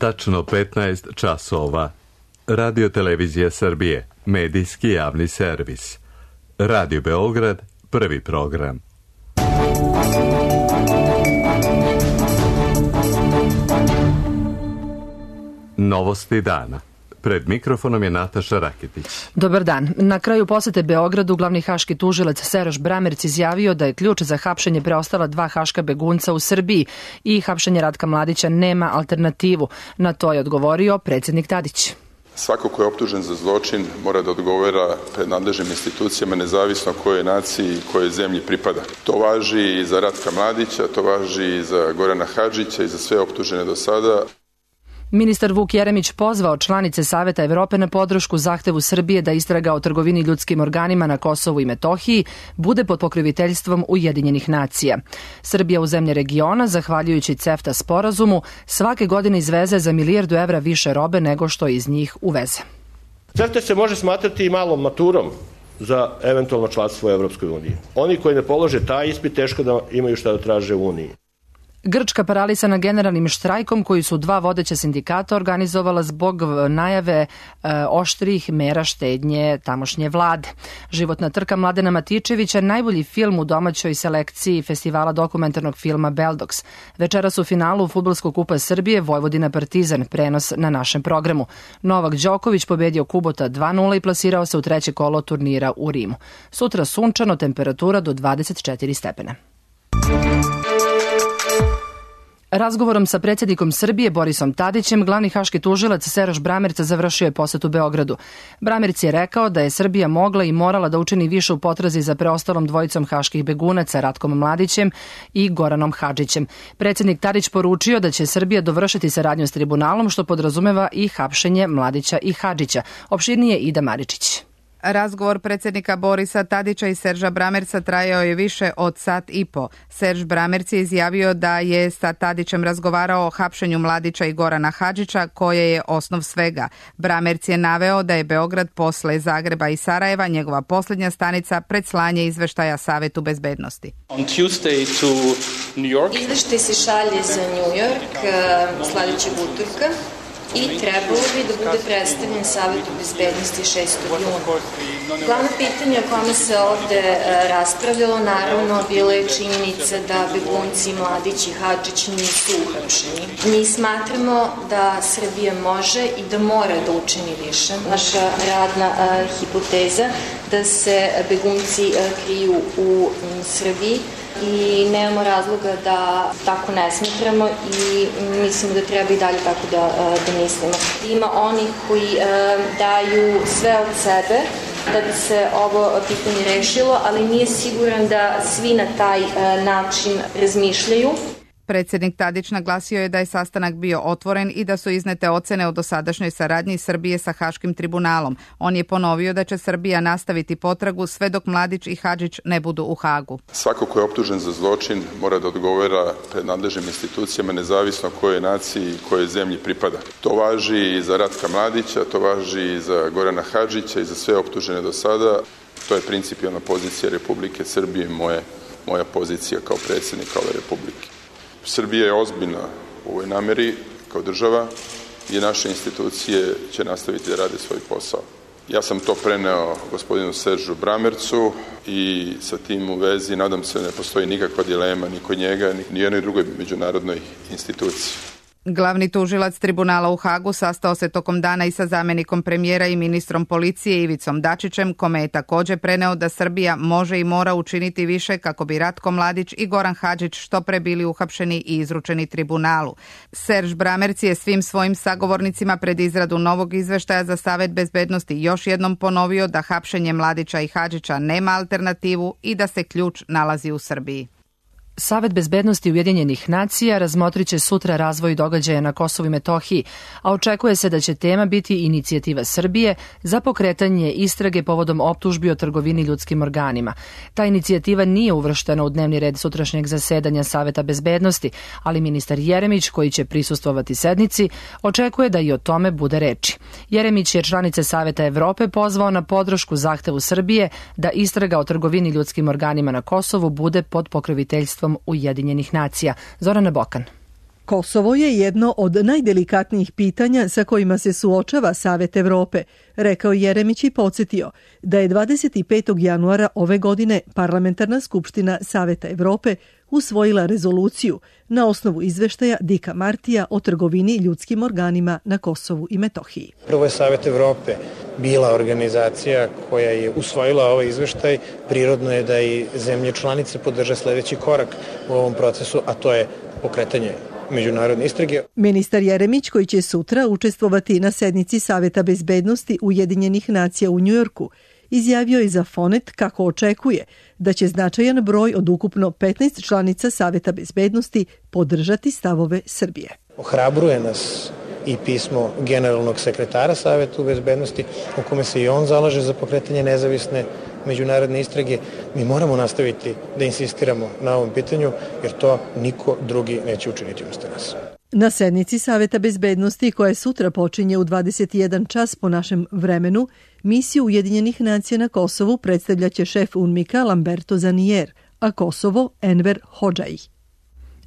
Tačno 15 časova. Radio Televizija Srbije, medijski javni servis. Radio Beograd, prvi program. Novosti dana. Pred mikrofonom je Nataša Raketić. Dobar dan. Na kraju posete Beogradu glavni haški tužilac Seroš Bramerc izjavio da je ključ za hapšenje preostala 2 haška begunca u Srbiji i hapšenje Ratka Mladića nema alternativu. Na to je odgovorio predsjednik Tadić. Svako ko je optužen za zločin mora da odgovara pred nadležnim institucijama nezavisno kojoj naciji i kojoj zemlji pripada. To važi i za Ratka Mladića, to važi i za Gorana Hadžića i za sve optužene do sada. Ministar Vuk Jeremić pozvao članice Saveta Evrope na podršku zahtevu Srbije da istraga o trgovini ljudskim organima na Kosovu i Metohiji bude pod pokroviteljstvom Ujedinjenih nacija. Srbija u zemlje regiona, zahvaljujući CEFTA sporazumu, svake godine izveze za milijardu evra više robe nego što iz njih uveze. CEFTA se može smatrati i malom maturom za eventualno članstvo u Evropskoj uniji. Oni koji ne polože taj ispit teško da imaju šta da traže u Uniji. Grčka paralisana generalnim štrajkom koji su 2 vodeća sindikata organizovala zbog najave oštrih mera štednje tamošnje vlade. Životna trka Mladena Matičevića, najbolji film u domaćoj selekciji festivala dokumentarnog filma Beldox. Večeras u finalu Fudbalskog kupa Srbije Vojvodina Partizan, prenos na našem programu. Novak Đoković pobedio Kubota 2-0 i plasirao se u 3. kolo turnira u Rimu. Sutra sunčano, temperatura do 24 stepena. Razgovorom sa predsjednikom Srbije Borisom Tadićem, glavni haški tužilac Seroš Bramerc završio je posetu Beogradu. Bramerc je rekao da je Srbija mogla i morala da učini više u potrazi za preostalom dvojicom haških begunaca Ratkom Mladićem i Goranom Hadžićem. Predsjednik Tadić poručio da će Srbija dovršiti saradnju s tribunalom, što podrazumeva i hapšenje Mladića i Hadžića. Opširnije Ida Maričić. Razgovor predsjednika Borisa Tadića i Serža Bramerca trajao je više od sat i po. Serž Bramerc je izjavio da je sa Tadićem razgovarao o hapšenju Mladića i Gorana Hadžića, koje je osnov svega. Bramerc je naveo da je Beograd posle Zagreba i Sarajeva njegova posljednja stanica pred slanje izveštaja Savetu bezbednosti. Izveštaj se šalje za New York sljedećeg utorka i trebalo bi da bude predstavljen Savetu bezbednosti 6. juna. Glavno pitanje o kome se ovde raspravljalo, naravno, bila je činjenica da begunci Mladić i Hadžić nisu uhapšeni. Mi smatramo da Srbija može i da mora da učini više. Naša radna hipoteza da se begunci kriju u Srbiji i nemamo razloga da tako ne smatramo i mislimo da treba i dalje tako da mislimo. Ima onih koji daju sve od sebe da bi se ovo pitanje rešilo, ali nije siguran da svi na taj način razmišljaju. Predsjednik Tadić naglasio je da je sastanak bio otvoren i da su iznete ocene o dosadašnjoj saradnji Srbije sa Haškim tribunalom. On je ponovio da će Srbija nastaviti potragu sve dok Mladić i Hadžić ne budu u Hagu. Svako ko je optužen za zločin mora da odgovara pred nadležnim institucijama nezavisno kojoj naciji i kojoj zemlji pripada. To važi i za Ratka Mladića, to važi i za Gorana Hadžića i za sve optužene do sada. To je principijelna pozicija Republike Srbije i moja pozicija kao predsjednika ove Republike. Srbija je ozbiljna u ovoj nameri kao država i naše institucije će nastaviti da rade svoj posao. Ja sam to preneo gospodinu Seržu Bramercu i sa tim u vezi nadam se ne postoji nikakva dilema ni kod njega ni jednoj drugoj međunarodnoj instituciji. Glavni tužilac tribunala u Hagu sastao se tokom dana i sa zamjenikom premijera i ministrom policije Ivicom Dačićem, kome je također preneo da Srbija može i mora učiniti više kako bi Ratko Mladić i Goran Hadžić što pre bili uhapšeni i izručeni tribunalu. Serž Bramerc je svim svojim sagovornicima pred izradu novog izveštaja za Savet bezbednosti još jednom ponovio da hapšenje Mladića i Hadžića nema alternativu i da se ključ nalazi u Srbiji. Savet bezbednosti Ujedinjenih nacija razmotrit će sutra razvoj događaja na Kosovu i Metohiji, a očekuje se da će tema biti inicijativa Srbije za pokretanje istrage povodom optužbi o trgovini ljudskim organima. Ta inicijativa nije uvrštena u dnevni red sutrašnjeg zasedanja Saveta bezbednosti, ali ministar Jeremić, koji će prisustvovati sednici, očekuje da i o tome bude reči. Jeremić je članice Saveta Evrope pozvao na podršku zahtevu Srbije da istraga o trgovini ljudskim organima na Kosovu bude pod pokroviteljstvom Ujedinjenih nacija. Zorana Bokan. Kosovo je jedno od najdelikatnijih pitanja sa kojima se suočava Savet Evrope, rekao Jeremić i podsjetio da je 25. januara ove godine Parlamentarna skupština Saveta Evrope usvojila rezoluciju na osnovu izveštaja Dika Martija o trgovini ljudskim organima na Kosovu i Metohiji. Prvo je Savet Evrope bila organizacija koja je usvojila ovaj izveštaj. Prirodno je da i zemlje članice podrže sledeći korak u ovom procesu, a to je pokretanje međunarodne istrage. Ministar Jeremić, koji će sutra učestvovati na sednici Saveta bezbednosti Ujedinjenih nacija u Njujorku, izjavio je za Fonet kako očekuje da će značajan broj od ukupno 15 članica Saveta bezbednosti podržati stavove Srbije. Ohrabruje nas i pismo generalnog sekretara Saveta bezbednosti u kome se i on zalaže za pokretanje nezavisne međunarodne istrage. Mi moramo nastaviti da insistiramo na ovom pitanju jer to niko drugi neće učiniti umesto nas. Na sednici Saveta bezbednosti, koja sutra počinje u 21 čas po našem vremenu, misiju Ujedinjenih nacija na Kosovu predstavljaće šef UNMIK-a Lamberto Zanier, a Kosovo Enver Hodžaj.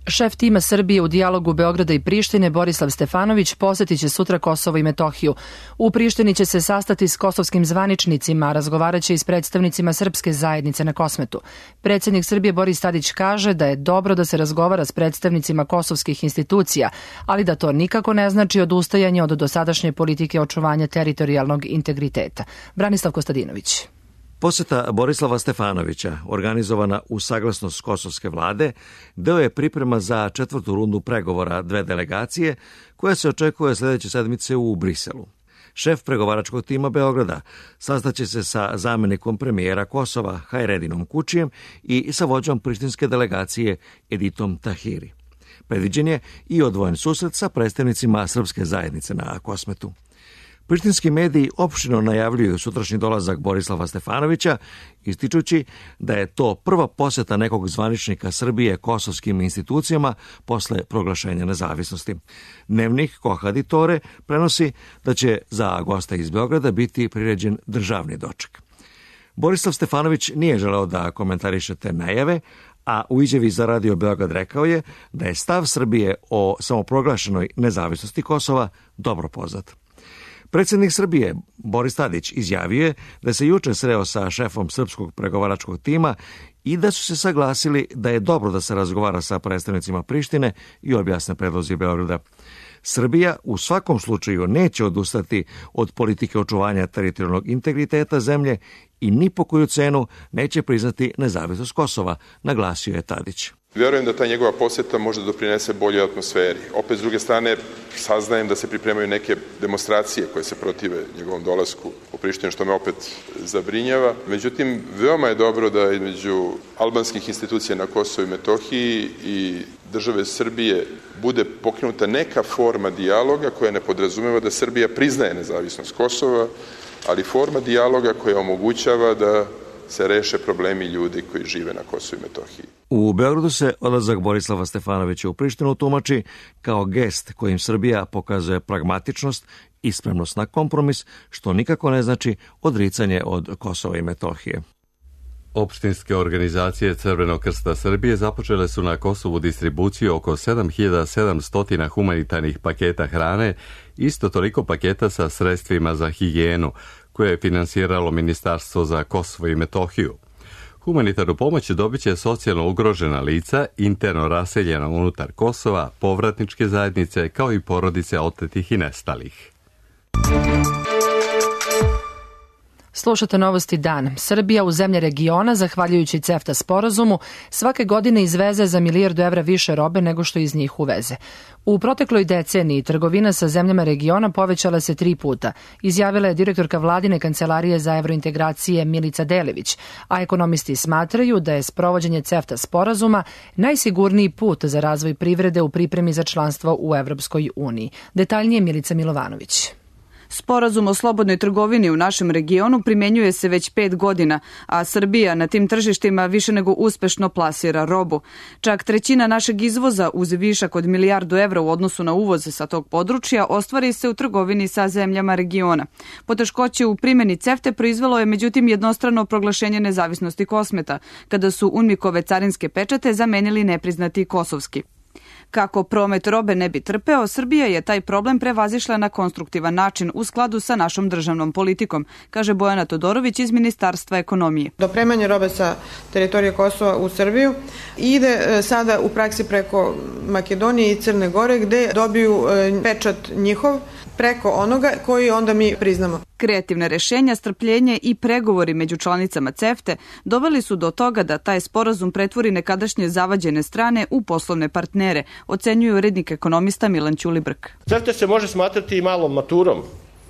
Šef tima Srbije u dijalogu Beograda i Prištine Borislav Stefanović posjetit će sutra Kosovo i Metohiju. U Prištini će se sastati s kosovskim zvaničnicima, a razgovarat će i s predstavnicima srpske zajednice na Kosmetu. Predsjednik Srbije Boris Tadić kaže da je dobro da se razgovara s predstavnicima kosovskih institucija, ali da to nikako ne znači odustajanje od dosadašnje politike očuvanja teritorijalnog integriteta. Branislav Kostadinović. Posjeta Borislava Stefanovića, organizovana u saglasnost kosovske vlade, deo je priprema za 4. rundu pregovora dve delegacije, koja se očekuje sljedeće sedmice u Briselu. Šef pregovaračkog tima Beograda sastaće se sa zamjenikom premijera Kosova Hajredinom Kučijem i sa vođom prištinske delegacije Editom Tahiri. Predviđen je i odvojen susret sa predstavnicima srpske zajednice na Kosmetu. Prištinski mediji opštino najavljuju sutrašnji dolazak Borislava Stefanovića, ističući da je to prva posjeta nekog zvaničnika Srbije kosovskim institucijama posle proglašenja nezavisnosti. Dnevnik Kohaditore prenosi da će za gosta iz Beograda biti priređen državni doček. Borislav Stefanović nije želeo da komentariše te najave, a u izjavi za Radio Beograd rekao je da je stav Srbije o samoproglašenoj nezavisnosti Kosova dobro poznat. Predsjednik Srbije Boris Tadić izjavio je da se juče sreo sa šefom srpskog pregovaračkog tima i da su se saglasili da je dobro da se razgovara sa predstavnicima Prištine i objasne predlozi Beograda. Srbija u svakom slučaju neće odustati od politike očuvanja teritorijalnog integriteta zemlje i ni po koju cenu neće priznati nezavisnost Kosova, naglasio je Tadić. Vjerujem da ta njegova posjeta može da doprinese boljoj atmosferi. Opet, s druge strane, saznajem da se pripremaju neke demonstracije koje se protive njegovom dolasku u Prištinu, što me opet zabrinjava. Međutim, veoma je dobro da između albanskih institucija na Kosovu i Metohiji i države Srbije bude pokrenuta neka forma dijaloga koja ne podrazumeva da Srbija priznaje nezavisnost Kosova, ali forma dijaloga koja omogućava da se reše problemi ljudi koji žive na Kosovu i Metohiji. U Beogradu se odlazak Borislava Stefanovića u Prištinu tumači kao gest kojim Srbija pokazuje pragmatičnost i spremnost na kompromis, što nikako ne znači odricanje od Kosova i Metohije. Opštinske organizacije Crvenog krsta Srbije započele su na Kosovu distribuciju oko 7700 humanitarnih paketa hrane, isto toliko paketa sa sredstvima za higijenu, koje je finansiralo Ministarstvo za Kosovo i Metohiju. Humanitarnu pomoć dobit će socijalno ugrožena lica, interno raseljena unutar Kosova, povratničke zajednice, kao i porodice otetih i nestalih. Slušate Novosti dan. Srbija u zemlje regiona, zahvaljujući CEFTA sporazumu, svake godine izveze za 1 milijardu evra više robe nego što iz njih uveze. U protekloj deceniji trgovina sa zemljama regiona povećala se 3 puta, izjavila je direktorka Vladine kancelarije za evrointegracije Milica Delević, a ekonomisti smatraju da je sprovođenje CEFTA sporazuma najsigurniji put za razvoj privrede u pripremi za članstvo u Evropskoj uniji. Detaljnije Milica Milovanović. Sporazum o slobodnoj trgovini u našem regionu primjenjuje se već 5 godina, a Srbija na tim tržištima više nego uspešno plasira robu. Čak trećina našeg izvoza uz višak od 1 milijardu evra u odnosu na uvoz sa tog područja ostvari se u trgovini sa zemljama regiona. Poteškoće u primjeni CEFTA proizvelo je međutim jednostrano proglašenje nezavisnosti Kosmeta, kada su UNMIK-ove carinske pečate zamenili nepriznati kosovski. Kako promet robe ne bi trpeo, Srbija je taj problem prevazišla na konstruktivan način u skladu sa našom državnom politikom, kaže Bojana Todorović iz Ministarstva ekonomije. Dopremanje robe sa teritorije Kosova u Srbiju ide sada u praksi preko Makedonije i Crne Gore, gde dobiju pečat njihov preko onoga koji onda mi priznamo. Kreativne rešenja, strpljenje i pregovori među članicama CEFTA doveli su do toga da taj sporazum pretvori nekadašnje zavađene strane u poslovne partnere, ocenjuje urednik ekonomista Milan Ćulibrk. CEFTA se može smatrati i malom maturom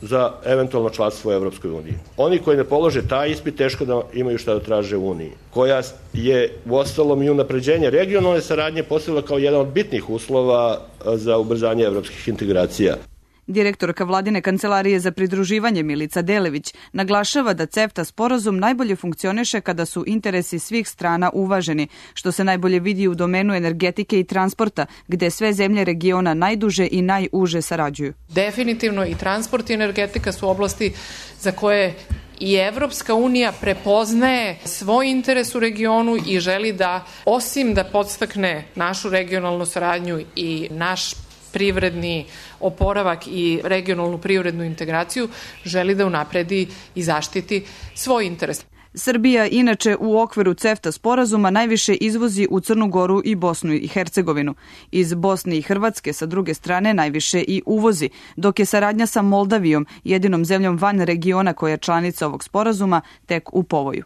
za eventualno članstvo u Evropskoj uniji. Oni koji ne polože taj ispit teško da imaju šta da traže u Uniji, koja je uostalom i unapređenje regionalne saradnje postavila kao jedan od bitnih uslova za ubrzanje evropskih integracija. Direktorka Vladine kancelarije za pridruživanje Milica Delević naglašava da CEFTA sporazum najbolje funkcioniše kada su interesi svih strana uvaženi, što se najbolje vidi u domenu energetike i transporta, gde sve zemlje regiona najduže i najuže sarađuju. Definitivno i transport i energetika su oblasti za koje i Evropska unija prepoznaje svoj interes u regionu i želi da, osim da podstakne našu regionalnu saradnju i naš privredni oporavak i regionalnu privrednu integraciju, želi da unapredi i zaštiti svoj interes. Srbija inače u okviru CEFTA sporazuma najviše izvozi u Crnu Goru i Bosnu i Hercegovinu. Iz Bosne i Hrvatske sa druge strane najviše i uvozi, dok je saradnja sa Moldavijom, jedinom zemljom van regiona koja je članica ovog sporazuma, tek u povoju.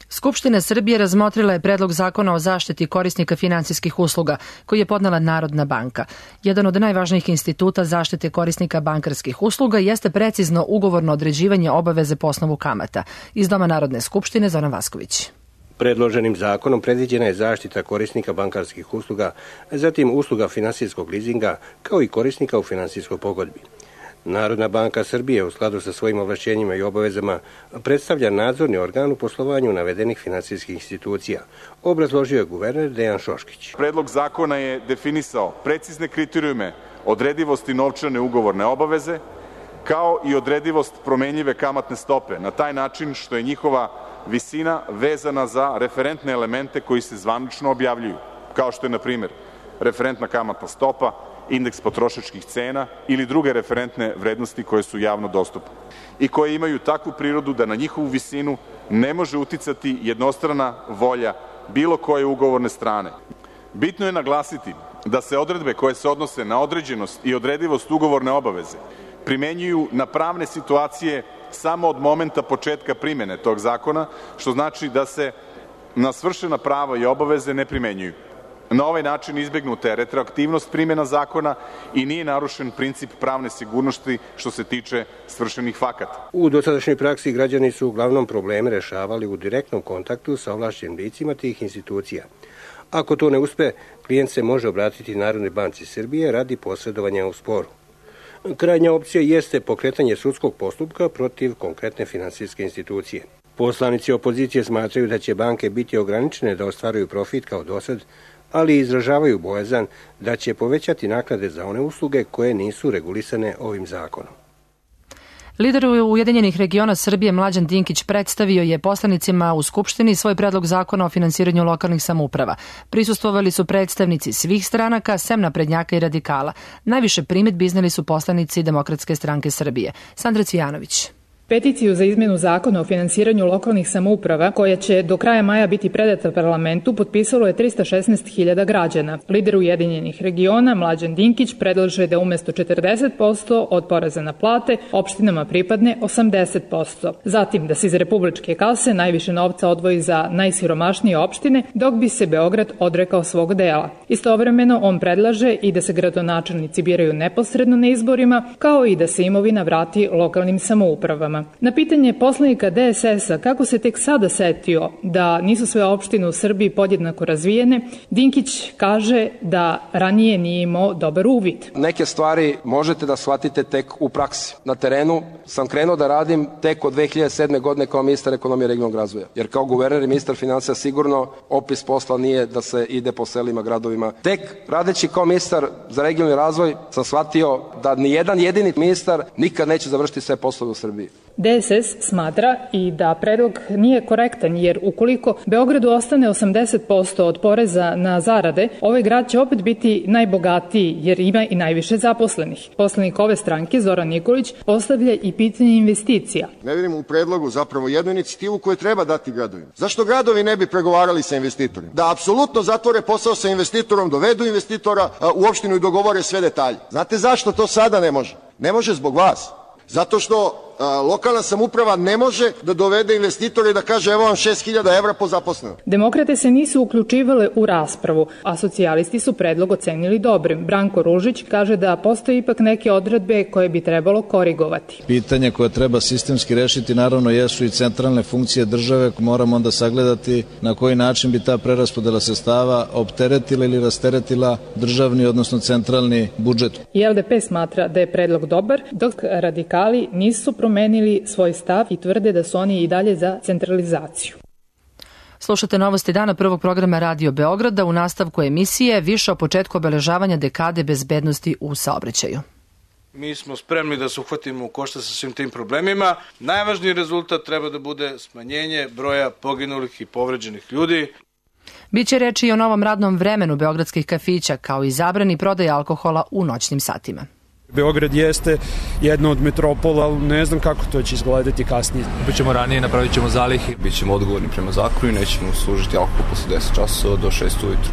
Skupština Srbije razmotrila je predlog zakona o zaštiti korisnika finansijskih usluga, koji je podnela Narodna banka. Jedan od najvažnijih instituta zaštite korisnika bankarskih usluga jeste precizno ugovorno određivanje obaveze po osnovu kamata. Iz Doma Narodne skupštine Zoran Vasković. Predloženim zakonom predviđena je zaštita korisnika bankarskih usluga, zatim usluga finansijskog lizinga, kao i korisnika u finansijskoj pogodbi. Narodna banka Srbije u skladu sa svojim ovlašćenjima i obavezama predstavlja nadzorni organ u poslovanju navedenih finansijskih institucija, obrazložio je guverner Dejan Šoškić. Predlog zakona je definisao precizne kriterijume odredivosti novčane ugovorne obaveze, kao i odredivost promenljive kamatne stope, na taj način što je njihova visina vezana za referentne elemente koji se zvanično objavljuju, kao što je, na primjer, referentna kamatna stopa, indeks potrošačkih cena ili druge referentne vrednosti koje su javno dostupne i koje imaju takvu prirodu da na njihovu visinu ne može uticati jednostrana volja bilo koje ugovorne strane. Bitno je naglasiti da se odredbe koje se odnose na određenost i odredivost ugovorne obaveze primenjuju na pravne situacije samo od momenta početka primene tog zakona, što znači da se na svršena prava i obaveze ne primenjuju. Na ovaj način izbegnuta je retroaktivnost primjena zakona i nije narušen princip pravne sigurnosti što se tiče svršenih fakata. U dosadašnjoj praksi građani su uglavnom probleme rešavali u direktnom kontaktu sa ovlašćenim licima tih institucija. Ako to ne uspe, klijent se može obratiti Narodnoj banci Srbije radi posredovanja u sporu. Krajnja opcija jeste pokretanje sudskog postupka protiv konkretne finansijske institucije. Poslanici opozicije smatraju da će banke biti ograničene da ostvaruju profit kao dosad, ali izražavaju bojazan da će povećati naknade za one usluge koje nisu regulisane ovim zakonom. Lider Ujedinjenih regiona Srbije Mlađan Dinkić predstavio je poslanicima u Skupštini svoj predlog zakona o finansiranju lokalnih samouprava. Prisustvovali su predstavnici svih stranaka, sem naprednjaka i radikala. Najviše primedbi izneli su poslanici Demokratske stranke Srbije. Sandra Cvijanović. Peticiju za izmenu zakona o finansiranju lokalnih samouprava, koja će do kraja maja biti predata parlamentu, potpisalo je 316.000 građana. Lider Ujedinjenih regiona Mlađan Dinkić predlaže da umesto 40% od poreza na plate opštinama pripadne 80%. Zatim da se iz republičke kase najviše novca odvoji za najsiromašnije opštine, dok bi se Beograd odrekao svog dela. Istovremeno on predlaže i da se gradonačelnici biraju neposredno na izborima, kao i da se imovina vrati lokalnim samoupravama. Na pitanje poslanika DSS-a kako se tek sada setio da nisu sve opštine u Srbiji podjednako razvijene, Dinkić kaže da ranije nije imao dobar uvid. Neke stvari možete da shvatite tek u praksi. Na terenu sam krenuo da radim tek od 2007. godine kao ministar ekonomije i regionalnog razvoja. Jer kao guverner i ministar finansija sigurno opis posla nije da se ide po selima, gradovima. Tek radeći kao ministar za regionalni razvoj sam shvatio da ni jedan jedini ministar nikad neće završiti sve poslove u Srbiji. DSS smatra i da predlog nije korektan, jer ukoliko Beogradu ostane 80% od poreza na zarade, ovaj grad će opet biti najbogatiji jer ima i najviše zaposlenih. Poslanik ove stranke, Zoran Nikolić, postavlja i pitanje investicija. Ne vidim u predlogu zapravo jednu inicijativu koju treba dati gradovima. Zašto gradovi ne bi pregovarali sa investitorima? Da apsolutno zatvore posao sa investitorom, dovedu investitora u opštinu i dogovore sve detalje. Znate zašto to sada ne može? Ne može zbog vas. Zato što lokalna samouprava ne može da dovede investitore i da kaže evo vam 6.000 evra po zaposlenom. Demokrate se nisu uključivale u raspravu, a socijalisti su predlog ocenili dobrim. Branko Ružić kaže da postoje ipak neke odredbe koje bi trebalo korigovati. Pitanje koje treba sistemski rešiti naravno jesu i centralne funkcije države. Moramo onda sagledati na koji način bi ta preraspodela sredstava opteretila ili rasteretila državni, odnosno centralni budžet. I LDP smatra da je predlog dobar, dok radikali nisu promenili svoj stav i tvrde da su oni i dalje za centralizaciju. Slušate novosti dana prvog programa Radio Beograda. U nastavku emisije više o početku obeležavanja dekade bezbednosti u saobraćaju. Mi smo spremni da se uhvatimo u koštac sa svim tim problemima. Najvažniji rezultat treba da bude smanjenje broja poginulih i povređenih ljudi. Biće reči i o novom radnom vremenu beogradskih kafića, kao i zabrani prodaje alkohola u noćnim satima. Beograd jeste jedna od metropola, ali ne znam kako to će izgledati kasnije. Bićemo ranije, napravit ćemo zalihe. Bićemo odgovorni prema zakonu i nećemo služiti alkohol posle 10 časova do 6 ujutru.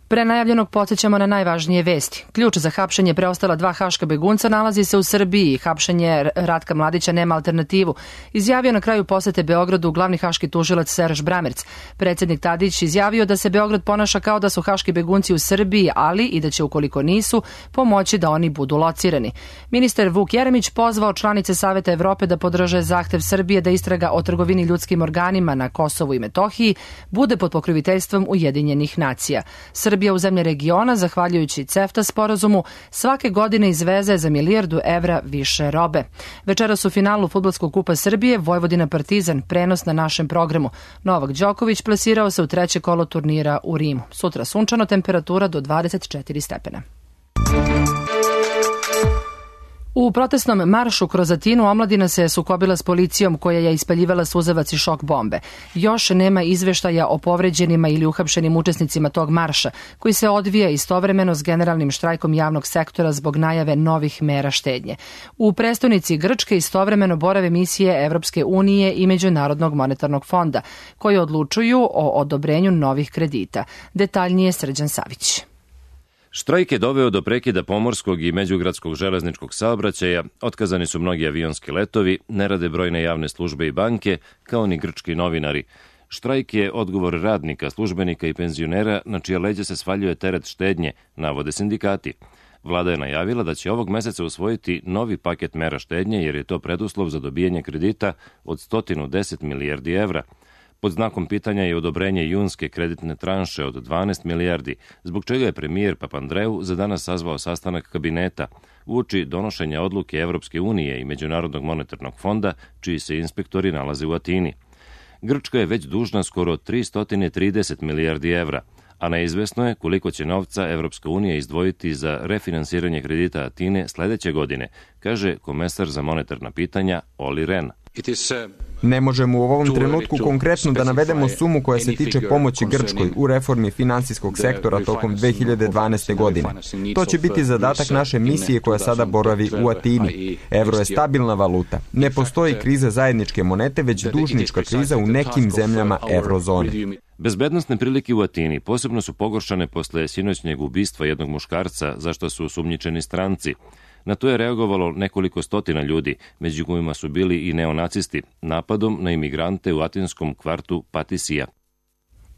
Pre najavljenog podsjećamo na najvažnije vesti. Ključ za hapšenje preostala 2 haška begunca nalazi se u Srbiji. Hapšenje Ratka Mladića nema alternativu. Izjavio na kraju posete Beogradu glavni haški tužilac Serž Bramerc. Predsjednik Tadić izjavio da se Beograd ponaša kao da su haški begunci u Srbiji, ali i da će, ukoliko nisu, pomoći da oni budu locirani. Ministar Vuk Jeremić pozvao članice Saveta Evrope da podrže zahtev Srbije da istraga o trgovini ljudskim organima na Kosovu i Metohiji bude pod pokroviteljstvom Ujedinjenih nacija. Srbija u zemlje regiona, zahvaljujući CEFTA sporazumu, svake godine izveze za 1 milijardu evra više robe. Večeras u finalu Fudbalskog kupa Srbije Vojvodina Partizan, prenos na našem programu. Novak Đoković plasirao se u 3. kolo turnira u Rimu. Sutra sunčano, temperatura do 24 stepena. U protestnom maršu kroz Atinu omladina se sukobila s policijom koja je ispaljivala suzavac i šok bombe. Još nema izveštaja o povređenima ili uhapšenim učesnicima tog marša, koji se odvija istovremeno s generalnim štrajkom javnog sektora zbog najave novih mera štednje. U prestonici Grčke istovremeno borave misije Evropske unije i Međunarodnog monetarnog fonda, koje odlučuju o odobrenju novih kredita. Detaljnije Srđan Savić. Štrajk je doveo do prekida pomorskog i međugradskog železničkog saobraćaja, otkazani su mnogi avionski letovi, ne rade brojne javne službe i banke, kao ni grčki novinari. Štrajk je odgovor radnika, službenika i penzionera na čije leđe se svaljuje teret štednje, navode sindikati. Vlada je najavila da će ovog meseca usvojiti novi paket mera štednje jer je to preduslov za dobijanje kredita od 110 milijardi evra. Pod znakom pitanja je odobrenje junske kreditne tranše od 12 milijardi, zbog čega je premijer Papandreou za danas sazvao sastanak kabineta uoči donošenja odluke Evropske unije i Međunarodnog monetarnog fonda, čiji se inspektori nalaze u Atini. Grčka je već dužna skoro 330 milijardi evra, a neizvesno je koliko će novca Evropska unija izdvojiti za refinansiranje kredita Atine sledeće godine, kaže komesar za monetarna pitanja Olli Rehn. Ne možemo u ovom trenutku konkretno da navedemo sumu koja se tiče pomoći Grčkoj u reformi finansijskog sektora tokom 2012. godine. To će biti zadatak naše misije koja sada boravi u Atini. Evro je stabilna valuta. Ne postoji kriza zajedničke monete, već dužnička kriza u nekim zemljama eurozone. Bezbednosne prilike u Atini posebno su pogoršane posle sinoćnjeg ubistva jednog muškarca, za što su osumnjičeni stranci. Na to je reagovalo nekoliko stotina ljudi, među kojima su bili i neonacisti, napadom na imigrante u atinskom kvartu Patisija.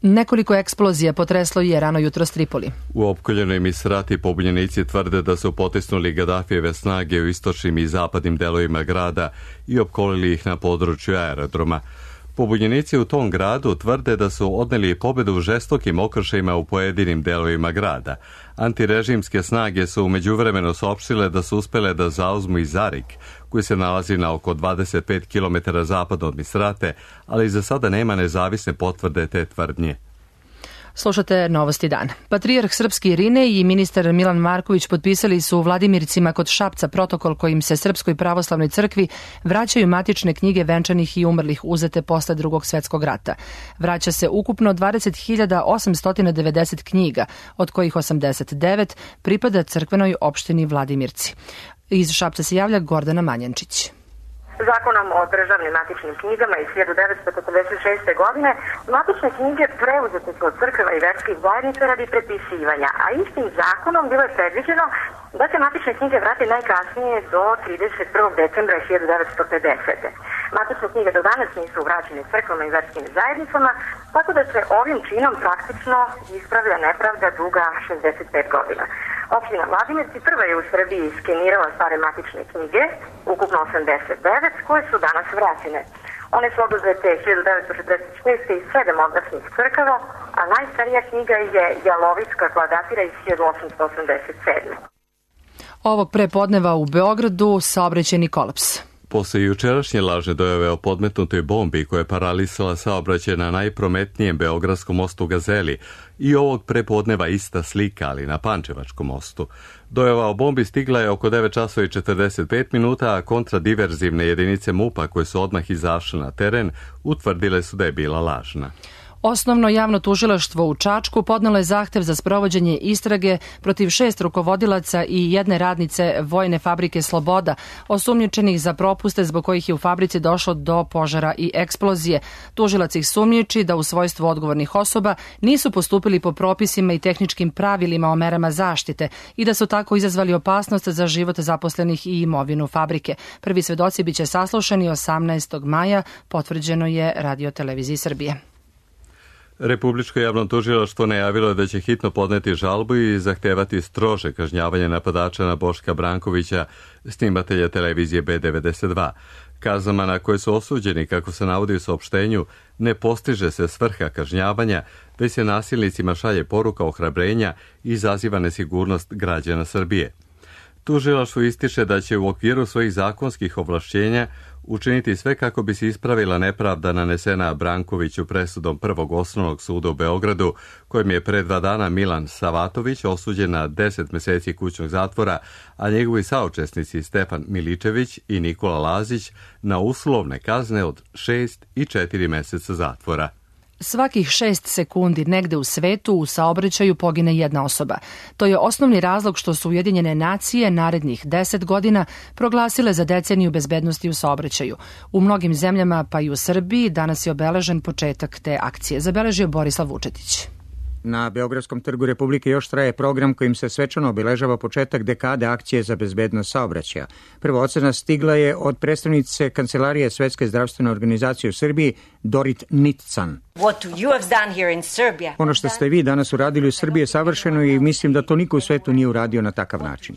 Nekoliko eksplozija potreslo je rano jutro Tripoli. U opkoljenoj Misrati pobunjenici tvrde da su potisnuli Gadafijeve snage u istočnim i zapadnim delovima grada i opkolili ih na području aerodroma. Pobunjenici u tom gradu tvrde da su odneli pobedu u žestokim okršajima u pojedinim delovima grada. Antirežimske snage su umeđuvremeno saopštile da su uspele da zauzmu i Zarik, koji se nalazi na oko 25 km zapadno od Misrate, ali za sada nema nezavisne potvrde te tvrdnje. Slušate Novosti dan. Patrijarh Srpski Irinej i ministar Milan Marković potpisali su u Vladimircima kod Šapca protokol kojim se Srpskoj pravoslavnoj crkvi vraćaju matične knjige venčanih i umrlih uzete posle Drugog svetskog rata. Vraća se ukupno 20.890 knjiga, od kojih 89 pripada crkvenoj opštini Vladimirci. Iz Šapca se javlja Gordana Manjančić. Zakonom o državnim matičnim knjigama iz 1946. godine matične knjige preuzete su od crkava i verskih zajednica radi prepisivanja, a istim zakonom bilo je predviđeno da se matične knjige vrate najkasnije do 31. decembra 1950. Matične knjige do danas nisu vraćene crkvama i verskim zajednicama, tako da se ovim činom praktično ispravlja nepravda duga 65 godina. Opština Vladimirci prva je u Srbiji skenirala stare matične knjige, ukupno 89, koje su danas vraćene. One su oduzete 1946. iz 7 odrasnih crkava, a najstarija knjiga je Jalovicka koja datira iz 1887. Ovog prepodneva u Beogradu saobraćajni kolaps. Posle jučerašnje lažne dojave o podmetnutoj bombi koja je paralisala saobraćaj na najprometnijem beogradskom mostu Gazeli i ovog prepodneva ista slika, ali na Pančevačkom mostu. Dojava o bombi stigla je oko 9 časova i 45 minuta, a kontradiverzivne jedinice MUP-a koje su odmah izašle na teren utvrdile su da je bila lažna. Osnovno javno tužilaštvo u Čačku podnelo je zahtev za sprovođenje istrage protiv 6 rukovodilaca i jedne radnice Vojne fabrike Sloboda, osumnjičenih za propuste zbog kojih je u fabrici došlo do požara i eksplozije. Tužilac ih sumnjiči da u svojstvu odgovornih osoba nisu postupili po propisima i tehničkim pravilima o merama zaštite i da su tako izazvali opasnost za život zaposlenih i imovinu fabrike. Prvi svedoci biće saslušani 18. maja, potvrđeno je Radio-televiziji Srbije. Republičko javno tužilaštvo najavilo je da će hitno podneti žalbu i zahtevati strože kažnjavanje napadača na Boška Brankovića, snimatelja televizije B92. Kaznama na koje su osuđeni, kako se navodi u saopštenju, ne postiže se svrha kažnjavanja, već se nasilnicima šalje poruka ohrabrenja i izaziva nesigurnost građana Srbije. Tužilaštvo ističe da će u okviru svojih zakonskih ovlašćenja učiniti sve kako bi se ispravila nepravda nanesena Brankoviću presudom Prvog osnovnog suda u Beogradu, kojim je pre 2 dana Milan Savatović osuđen na 10 meseci kućnog zatvora, a njegovi saučesnici Stefan Miličević i Nikola Lazić na uslovne kazne od 6 i 4 meseca zatvora. Svakih 6 sekundi negde u svetu u saobraćaju pogine jedna osoba. To je osnovni razlog što su Ujedinjene nacije narednih 10 godina proglasile za deceniju bezbednosti u saobraćaju. U mnogim zemljama, pa i u Srbiji, danas je obeležen početak te akcije. Zabeležio Borislav Vučetić. Na Beogradskom trgu Republike još traje program kojim se svečano obeležava početak dekade akcije za bezbednost saobraćaja. Prva ocena stigla je od predstavnice Kancelarije Svetske zdravstvene organizacije u Srbiji, Dorit Nitcan. Ono što ste vi danas uradili u Srbiji je savršeno i mislim da to niko u svetu nije uradio na takav način.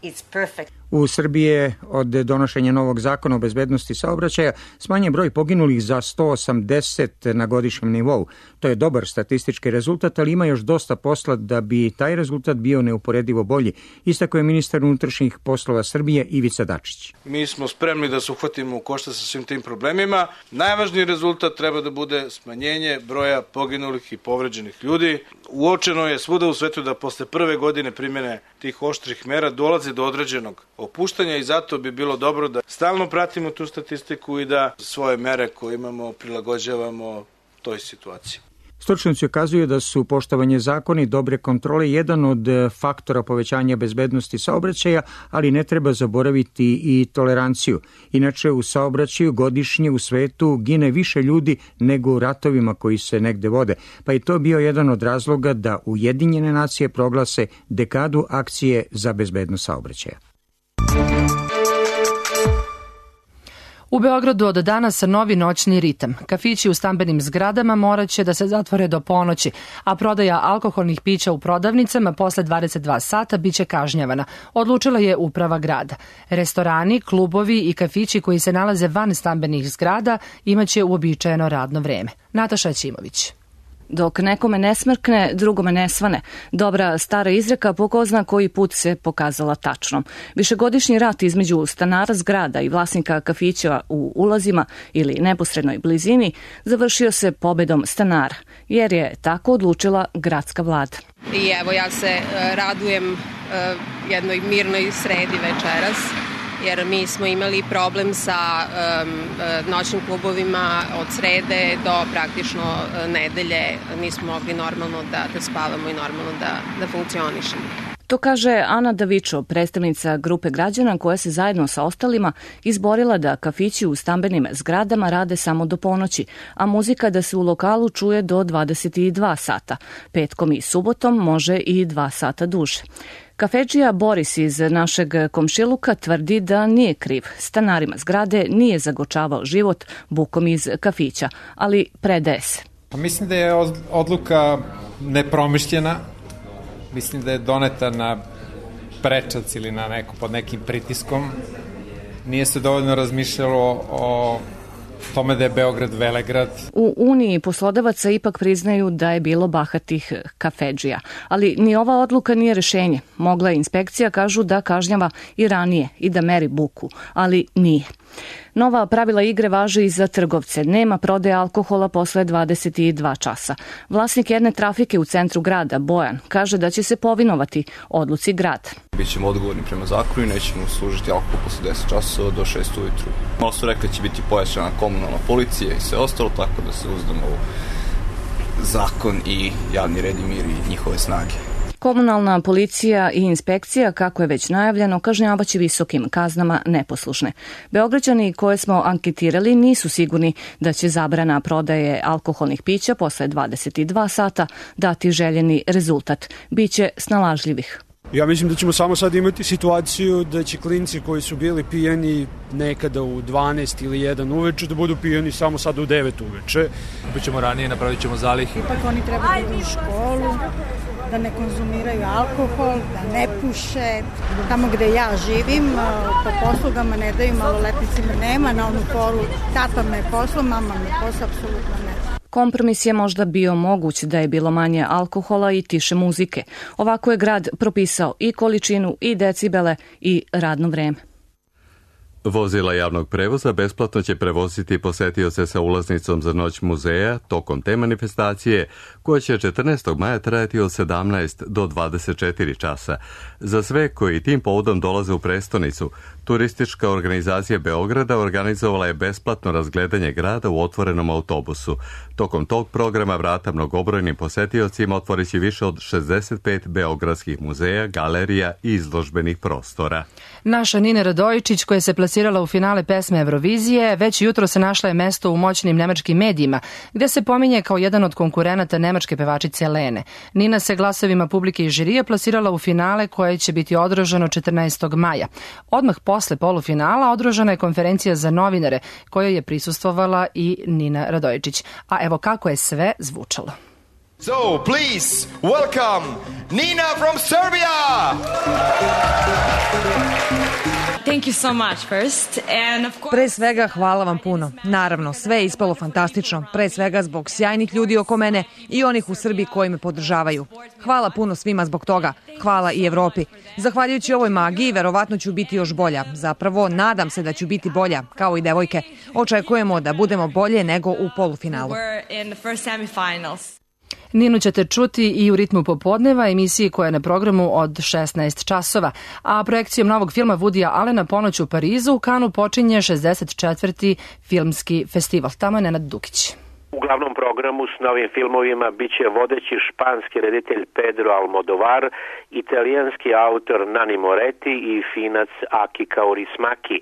U Srbiji je od donošenja novog zakona o bezbednosti saobraćaja smanjen broj poginulih za 180 na godišnjem nivou. To je dobar statistički rezultat, ali ima još dosta posla da bi taj rezultat bio neuporedivo bolji, istakao je ministar unutrašnjih poslova Srbije Ivica Dačić. Mi smo spremni da se uhvatimo u koštac sa svim tim problemima. Najvažniji rezultat treba da bude smanjenje broja poginulih i povređenih ljudi. Uočeno je svuda u svetu da posle prve godine primjene tih oštrih mera dolazi do određenog opuštanja i zato bi bilo dobro da stalno pratimo tu statistiku i da svoje mere koje imamo prilagođavamo toj situaciji. Stručnjaci ukazuju da su poštovanje zakona i dobre kontrole jedan od faktora povećanja bezbednosti saobraćaja, ali ne treba zaboraviti i toleranciju. Inače, u saobraćaju godišnje u svetu gine više ljudi nego u ratovima koji se negde vode, pa je to bio jedan od razloga da Ujedinjene nacije proglase dekadu akcije za bezbednost saobraćaja. U Beogradu od danas novi noćni ritam. Kafići u stambenim zgradama morat će da se zatvore do ponoći, a prodaja alkoholnih pića u prodavnicama posle 22 sata biće kažnjavana, odlučila je uprava grada. Restorani, klubovi i kafići koji se nalaze van stambenih zgrada imaće uobičajeno radno vreme. Nataša Ćimović. Dok nekome ne smrkne, drugome ne svane. Dobra stara izreka po ko zna koji put se pokazala tačnom. Višegodišnji rat između stanara zgrada i vlasnika kafića u ulazima ili neposrednoj blizini završio se pobedom stanara, jer je tako odlučila gradska vlada. I evo ja se radujem jednoj mirnoj sredi večeras, jer mi smo imali problem sa noćnim klubovima od srede do praktično nedelje. Nismo mogli normalno da spavamo i normalno da funkcionišemo. To kaže Ana Davičo, predstavnica grupe građana koja se zajedno sa ostalima izborila da kafići u stambenim zgradama rade samo do ponoći, a muzika da se u lokalu čuje do 22 sata. Petkom i subotom može i 2 sata duže. Kafedžija Boris iz našeg komšiluka tvrdi da nije kriv. Stanarima zgrade nije zagočavao život bukom iz kafića, ali predaje se. Mislim da je odluka nepromišljena. Mislim da je doneta na prečac ili pod nekim pritiskom. Nije se dovoljno razmišljalo o tome da je Beograd velegrad. U Uniji poslodavaca ipak priznaju da je bilo bahatih kafedžija. Ali ni ova odluka nije rešenje. Mogla je inspekcija, kažu, da kažnjava i ranije i da meri buku, ali nije. Nova pravila igre važe i za trgovce. Nema prodaje alkohola posle 22 časa. Vlasnik jedne trafike u centru grada, Bojan, kaže da će se povinovati odluci grada. Bićemo odgovorni prema zakonu i nećemo služiti alkohol posle 10 časova do 6 ujutru. Malo su rekli da će biti pojačana komunalna policija i sve ostalo, tako da se uzdamo u zakon i javni red i mir i njihove snage. Komunalna policija i inspekcija, kako je već najavljeno, kažnjavaće visokim kaznama neposlušne. Beograđani koje smo anketirali nisu sigurni da će zabrana prodaje alkoholnih pića posle 22 sata dati željeni rezultat. Biće snalažljivih. Ja mislim da ćemo samo sad imati situaciju da će klinci koji su bili pijani nekada u 12 ili 1 uveče da budu pijani samo sad u 9 uveče. Bićemo ranije, napravit ćemo zalih. Ipak oni treba da idu u školu, da ne konzumiraju alkohol, da ne puše. Tamo gde ja živim, po poslugama ne daju maloletnicima, nema na onu foru, tata me posla, mama me posla, apsolutno ne. Kompromis je možda bio moguć da je bilo manje alkohola i tiše muzike. Ovako je grad propisao i količinu, i decibele, i radno vreme. Vozila javnog prevoza besplatno će prevoziti posetioce sa ulaznicom za noć muzeja tokom te manifestacije, koja će 14. maja trajati od 17 do 24 časa. Za sve koji tim povodom dolaze u prestonicu, turistička organizacija Beograda organizovala je besplatno razgledanje grada u otvorenom autobusu. Tokom tog programa vrata mnogobrojnim posetiocima otvorit će više od 65 beogradskih muzeja, galerija i izložbenih prostora. Naša Nina Radojičić, koja se plasirala u finale pesme Eurovizije, već jutro se našla je mesto u moćnim nemačkim medijima, gde se pominje kao jedan od konkurenata nemačke pevačice Lene. Nina se glasovima publike i žirija plasirala u finale koje će biti održano 14. maja. Odmah posle polufinala održana je konferencija za novinare, kojoj je prisustvovala i Nina Radojičić. A evo kako je sve zvučalo. So, please, welcome Nina from Serbia! Thank you so much first. And of course... Pre svega hvala vam puno. Naravno, sve je ispalo fantastično. Pre svega zbog sjajnih ljudi oko mene i onih u Srbiji koji me podržavaju. Hvala puno svima zbog toga. Hvala i Evropi. Zahvaljujući ovoj magiji, verovatno ću biti još bolja. Zapravo, nadam se da ću biti bolja, kao i devojke. Očekujemo da budemo bolje nego u polufinalu. Ninu ćete čuti i u ritmu popodneva, emisiji koja je na programu od 16 časova. A projekcijom novog filma Woodya Allena Ponoć u Parizu u Kanu počinje 64. filmski festival. Tamo je Nenad Dukić. U glavnom programu s novim filmovima biće vodeći španski reditelj Pedro Almodovar, italijanski autor Nanni Moretti i Finac Aki Kaurismäki.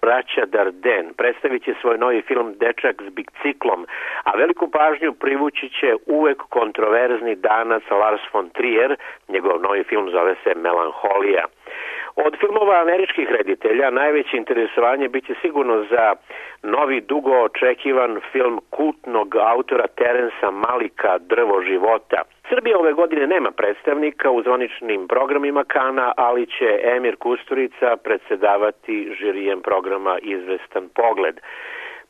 Braća Dardenne predstavit će svoj novi film Dečak s biciklom, a veliku pažnju privući će uvek kontroverzni Danac Lars von Trier, njegov novi film zove se Melanholija. Od filmova američkih reditelja najveće interesovanje biće sigurno za novi dugo očekivan film kultnog autora Terensa Malika Drvo života. Srbija ove godine nema predstavnika u zvaničnim programima Kana, ali će Emir Kusturica predsedavati žirijem programa Izvestan pogled.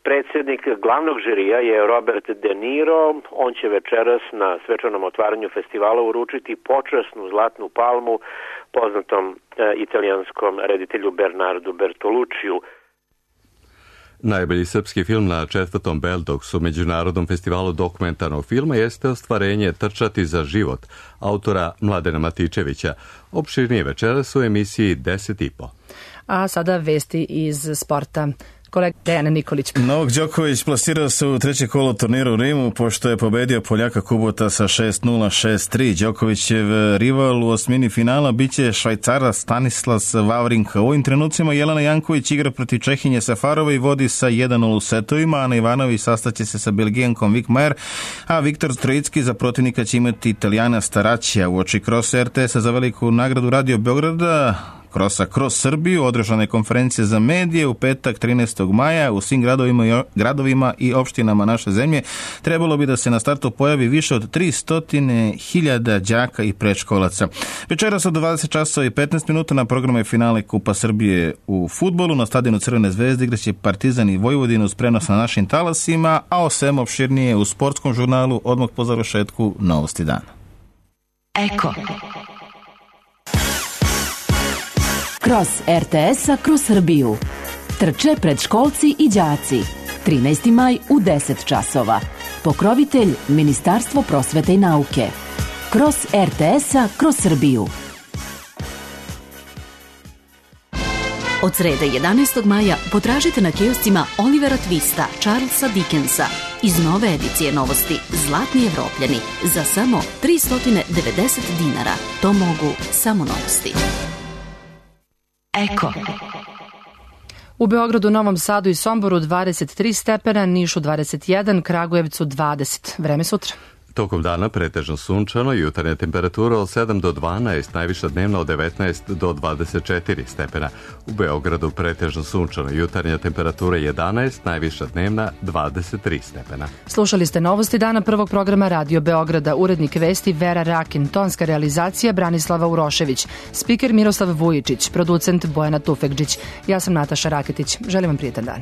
Predsjednik glavnog žirija je Robert De Niro. On će večeras na svečanom otvaranju festivala uručiti počasnu zlatnu palmu poznatom italijanskom reditelju Bernardu Bertolucciju. Najbolji srpski film na 4. Beldoksu, Međunarodnom festivalu dokumentarnog filma, jeste ostvarenje Trčati za život, autora Mladena Matičevića. Opširnije večeras u emisiji 10.5. A sada vesti iz sporta. Kolega Dejan Nikolić. Novak Đoković plasirao se u treće kolo turnira u Rimu, pošto je pobedio Poljaka Kubota sa 6-0, 6-3. Đokovićev rival u osmini finala biće Švajcara Stanislas Wawrinka. U ovim trenucima Jelena Janković igra protiv Čehinje Safarove i vodi sa 1-0 u setovima. Ana Ivanović sastaće se sa Belgijankom Vik Majer, a Viktor Trojicki za protivnika će imati Italijana Staraćija. U oči krosa RTS-a za veliku nagradu Radio Beograda Krosa kroz Srbiju održana je konferencija za medije u petak 13. maja u svim gradovima i opštinama naše zemlje. Trebalo bi da se na startu pojavi više od 300.000 đaka i predškolaca. Večeras od 20 časova i 15 minuta na programu je finale Kupa Srbije u fudbalu. Na stadionu Crvene zvezde igraće Partizan i Vojvodinu uz prenos na našim talasima, a o svemu opširnije u sportskom žurnalu odmah po završetku Novosti dana. Eko. Kroz RTS-a kroz Srbiju. Trče predškolci i đaci. 13. maj u 10 časova. Pokrovitelj Ministarstvo prosvete i nauke. Kroz RTS-a kroz Srbiju. Od srede 11. maja potražite na kioscima Olivera Twista, Charlesa Dickensa iz nove edicije novosti Zlatni Evropljani za samo 390 dinara. To mogu samo Novosti. Eko. U Beogradu, Novom Sadu i Somboru 23 stepena, Nišu 21, Kragujevcu 20. Vreme sutra. Tokom dana pretežno sunčano, jutarnja temperatura od 7 do 12, najviša dnevna od 19 do 24 stepena. U Beogradu pretežno sunčano, jutarnja temperatura 11, najviša dnevna 23 stepena. Slušali ste novosti dana prvog programa Radio Beograda, urednik vesti Vera Rakin, tonska realizacija Branislava Urošević, spiker Miroslav Vujičić, producent Bojana Tufekđić. Ja sam Nataša Raketić. Želim vam prijetan dan.